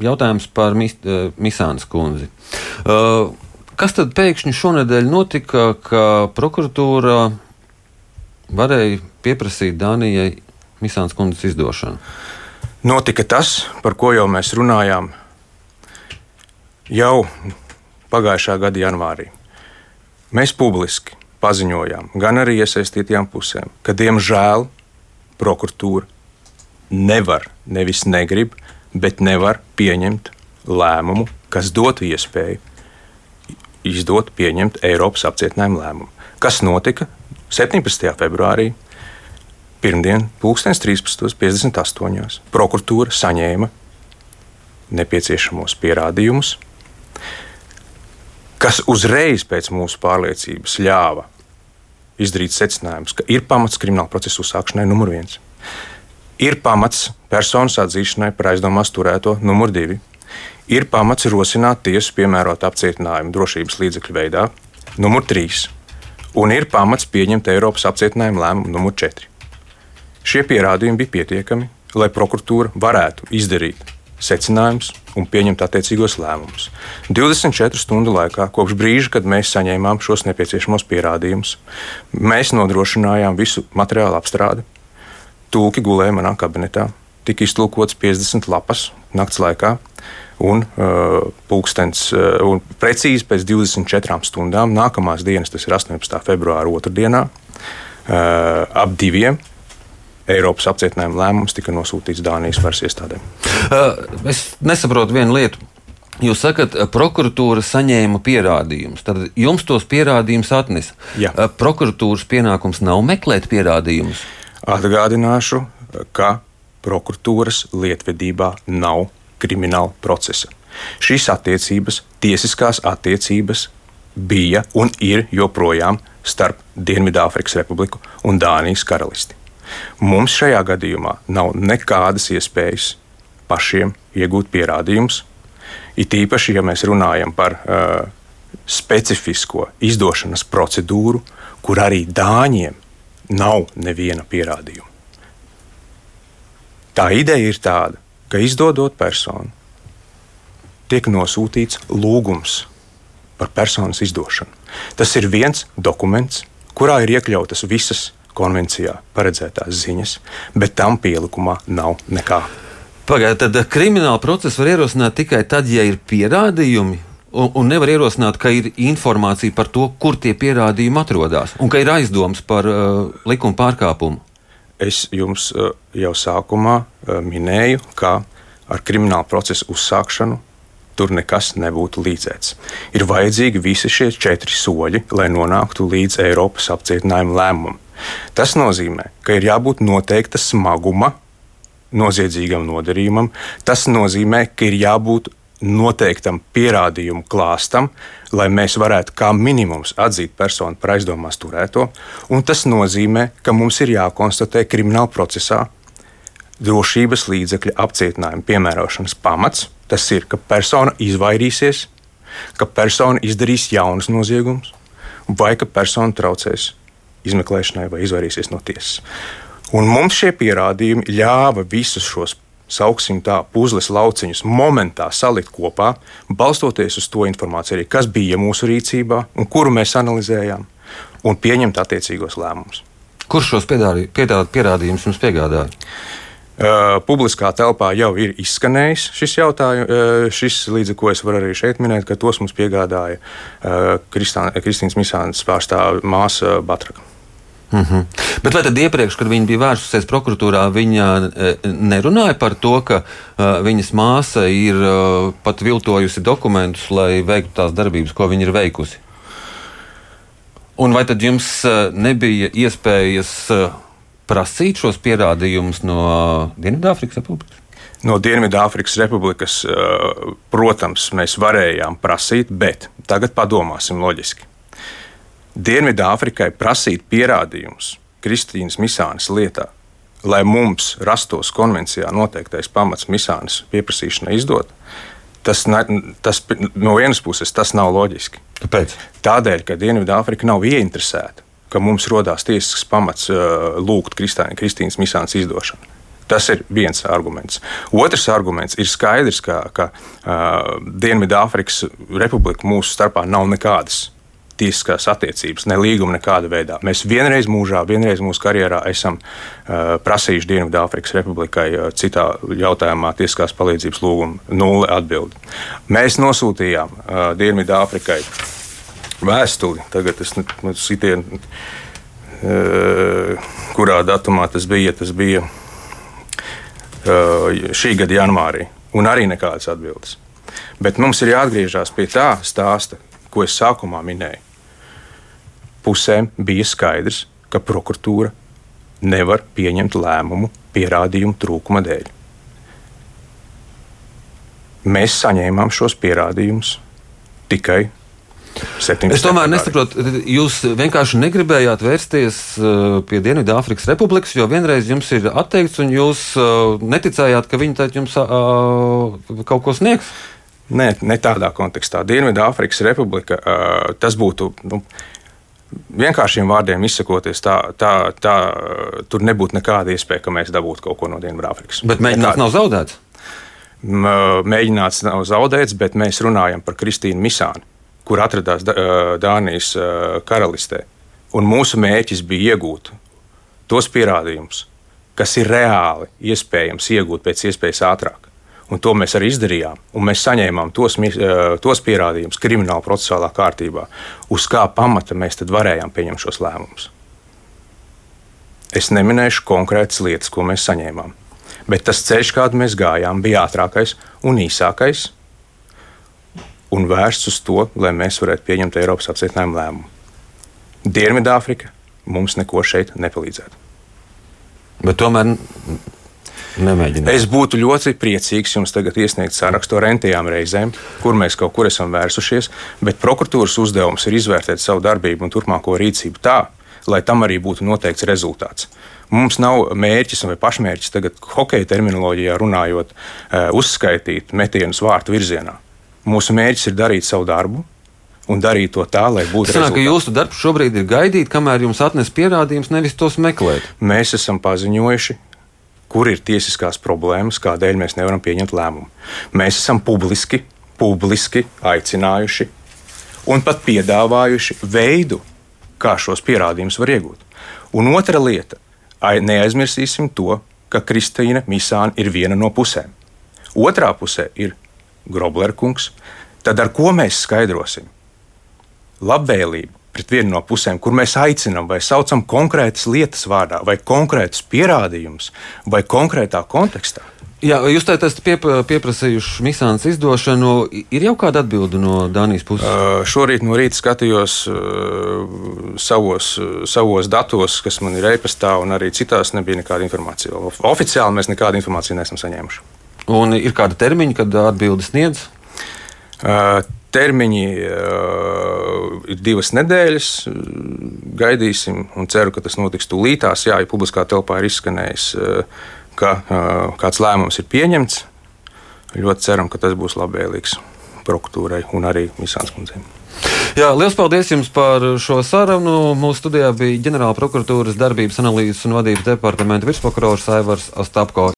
jautājums par Misānas kundzi. Kas tad pēkšņi šonedēļ notika, ka prokuratūra varēja pieprasīt Dānijai Misānas kundzes izdošanu? Notika tas, par ko jau mēs runājām jau pagājušā gada janvārī. Mēs publiski paziņojām, gan arī iesaistītajām pusēm, ka diemžēl prokuratūra nevar, nevis negrib, bet nevar pieņemt lēmumu, kas dotu iespēju pieņemt Eiropas apcietinājumu lēmumu. Kas notika 17. februārī? Pirmdien, 13:58. Prokuratūra saņēma nepieciešamos pierādījumus, kas uzreiz pēc mūsu pārliecības ļāva izdarīt secinājumus, ka ir pamats krimināla procesa uzsākšanai numur 1, ir pamats personas atzīšanai par aizdomās turēto numur 2, ir pamats rosināt tiesu piemērot apcietinājumu drošības līdzekļu veidā numur 3, un ir pamats pieņemt Eiropas apcietinājumu lēmumu numur 4. Šie pierādījumi bija pietiekami, lai prokuratūra varētu izdarīt secinājumus un pieņemt attiecīgos lēmumus. 24 stundu laikā, kopš brīža, kad mēs saņēmām šos nepieciešamos pierādījumus, mēs nodrošinājām visu materiālu apstrādi. Tulki gulēja manā kabinetā, tika iztulkots 50 lapas nakts laikā, un precīzi pēc 24 stundām nākamās dienas, tas ir 18. februāra otrdienā, ap 2. Eiropas apcietinājuma lēmums tika nosūtīts Dānijas varas iestādēm. Es nesaprotu vienu lietu. Jūs sakat, prokuratūra saņēma pierādījumus. Tad jums tos pierādījumus atnesa. Jā. Prokuratūras pienākums nav meklēt pierādījumus. Atgādināšu, ka prokuratūras lietvedībā nav krimināla procesa. Šīs attiecības, tiesiskās attiecības bija un ir joprojām starp Dienvidāfrikas Republiku un Dānijas karalisti. Mums šajā gadījumā nav nekādas iespējas pašiem iegūt pierādījumus. It īpaši, ja mēs runājam par specifisko izdošanas procedūru, kur arī Dāņiem nav neviena pierādījuma. Tā ideja ir tāda, ka izdodot personu, tiek nosūtīts lūgums par personas izdošanu. Tas ir viens dokuments, kurā ir iekļautas visas konvencijā paredzētās ziņas, bet tam pielikumā nav nekā. Pagaidiet, tad krimināla procesu var ierosināt tikai tad, ja ir pierādījumi, un nevar ierosināt, ka ir informācija par to, kur tie pierādījumi atrodas, un ka ir aizdomas par likuma pārkāpumu. Es jums jau sākumā minēju, ka ar kriminālu procesu uzsākšanu tur nekas nebūtu līdzēts. Ir vajadzīgi visi šie 4 soļi, lai nonāktu līdz Eiropas apcietinājuma lēmumam. Tas nozīmē, ka ir jābūt noteikta smaguma noziedzīgam nodarījumam. Tas nozīmē, ka ir jābūt noteiktam pierādījumu klāstam, lai mēs varētu kā minimums atzīt personu par aizdomās turēto. Un tas nozīmē, ka mums ir jākonstatē krimināla procesā drošības līdzekļa apcietinājuma piemērošanas pamats. Tas ir, ka persona izvairīsies, ka persona izdarīs jaunus noziegumus, vai ka persona traucēs izmeklēšanai vai izvairīsies no tiesas. Un mums šie pierādījumi ļāva visus šos, sauksim tā, puzles lauciņus momentā salikt kopā, balstoties uz to informāciju, arī, kas bija mūsu rīcībā un kuru mēs analizējām, un pieņemt attiecīgos lēmumus. Kurš šos pierādījumus jums piegādāja? Publiskā telpā jau ir izskanējis šis jautājums, līdz ar ko es varu arī šeit minēt, ka tos mums piegādāja Kristīnas Misānas pārstāve māsa Batraka. Bet vai tad iepriekš, kad viņa bija vērsusies prokuratūrā, viņa nerunāja par to, ka viņas māsa ir pat viltojusi dokumentus, lai veiktu tās darbības, ko viņa ir veikusi? Un vai tad jums nebija iespējas prasīt šos pierādījumus no Dienvidāfrikas Republikas? No Dienvidāfrikas Republikas, protams, mēs varējām prasīt, bet tagad padomāsim loģiski. Dienvidāfrikai prasīt pierādījumus Kristīnas Misānas lietā, lai mums rastos konvencijā noteiktais pamats Misānas pieprasīšanai izdot, tas no vienas puses tas nav loģiski. Kāpēc? Tādēļ, ka Dienvidāfrika nav ieinteresēta, ka mums rodās tiesisks pamats lūgt Kristīnas Misānas izdošanu. Tas ir viens arguments. Otrs arguments ir skaidrs, ka Dienvidāfrikas Republika mūsu starpā nav nekādas tiesiskās attiecības, ne līguma nekāda veidā. Mēs vienreiz mūsu karjerā esam prasījuši Dienvidāfrikas Republikai citā jautājumā tiesiskās palīdzības lūgumu, 0 atbildi. Mēs nosūtījām Dienvidāfrikai vēstuli, tagad es sitienu, kurā datumā tas bija šī gada janvārī, un arī nekādas atbildes. Bet mums ir jāatgriežas pie tā stāsta, ko es sākumā minēju. Pusēm bija skaidrs, ka prokuratūra nevar pieņemt lēmumu pierādījumu trūkuma dēļ. Mēs saņēmām šos pierādījumus tikai 17. Es tomēr nesaprotu, jūs vienkārši negribējāt vērsties pie Dienvidāfrikas Republikas, jo vienreiz jums ir atteikts, un jūs neticējāt, ka viņi tad jums kaut ko sniegs? Nē, ne tādā kontekstā. Dienvidāfrikas Republika, tas būtu, vienkāršiem vārdiem izsakoties, tur nebūtu nekāda iespēja, ka mēs dabūtu kaut ko no Dienvidāfrikas. Bet mēģināts nav zaudēts? Mēģināts nav zaudēts, bet mēs runājam par Kristīnu Misāni, kur atradās Dānijas karalistē. Un mūsu mērķis bija iegūt tos pierādījumus, kas ir reāli iespējams iegūt pēc iespējas ātrāk. Un to mēs arī izdarījām. Un mēs saņēmām tos pierādījumus krimināla procesuālā kārtībā, uz kā pamata mēs tad varējām pieņemt šos lēmumus. Es neminēšu konkrētas lietas, ko mēs saņēmām. Bet tas ceļš, kādu mēs gājām, bija ātrākais un īsākais, un vērsts uz to, lai mēs varētu pieņemt Eiropas apcietinājumu lēmumu. Dienvidāfrika mums neko šeit nepalīdzētu. Bet tomēr nemēģināt. Es būtu ļoti priecīgs jums tagad iesniegt sarakstu ar entajām reizēm, kur mēs kaut kur esam vērsušies, bet prokuratūras uzdevums ir izvērtēt savu darbību un turpmāko rīcību tā, lai tam arī būtu noteikts rezultāts. Mums nav mērķis vai pašmērķis tagad hokeja terminoloģijā runājot, uzskaitīt metienus vārtu virzienā. Mūsu mērķis ir darīt savu darbu un darīt to tā, lai būtu rezultāts. Ka jūsu darbs šobrīd ir gaidīt, kamēr jums atnes pierādījums, nevis tos meklēt. Mēs esam paziņojuši, kur ir tiesiskās problēmas, kādēļ mēs nevaram pieņemt lēmumu. Mēs esam publiski aicinājuši un pat piedāvājuši veidu, kā šos pierādījumus var iegūt. Un otra lieta, neaizmirsīsim to, ka Kristīna Misāne ir viena no pusēm. Otrā pusē ir Groblerkungs, tad ar ko mēs skaidrosim labvēlību pret vienu no pusēm, kur mēs aicinām vai saucam konkrētas lietas vārdā, vai konkrētus pierādījumus, vai konkrētā kontekstā? Jā, jūs tā esat pieprasījuši Misānes izdošanu. Ir jau kāda atbilde no Dānijas puses? Šorīt no rīta skatījos savos datos, kas man ir e-pastā, un arī citās nebija nekāda informācija. Oficiāli mēs nekādu informāciju neesam saņēmuši. Un ir kāda termiņa, kad atbildi sniedz? Termiņi ir 2 nedēļas. Gaidīsim un ceru, ka tas notiks tūlītās. Jā, ja publiskā telpā ir izskanējis, ka kāds lēmums ir pieņemts. Ļoti ceram, ka tas būs labvēlīgs prokuratūrai un arī Misānes kundzei. Jā, liels paldies jums par šo sarunu. Mūsu studijā bija ģenerāla prokuratūras darbības analīzes un vadības departamenta virsprokurors Aivars Ostapko.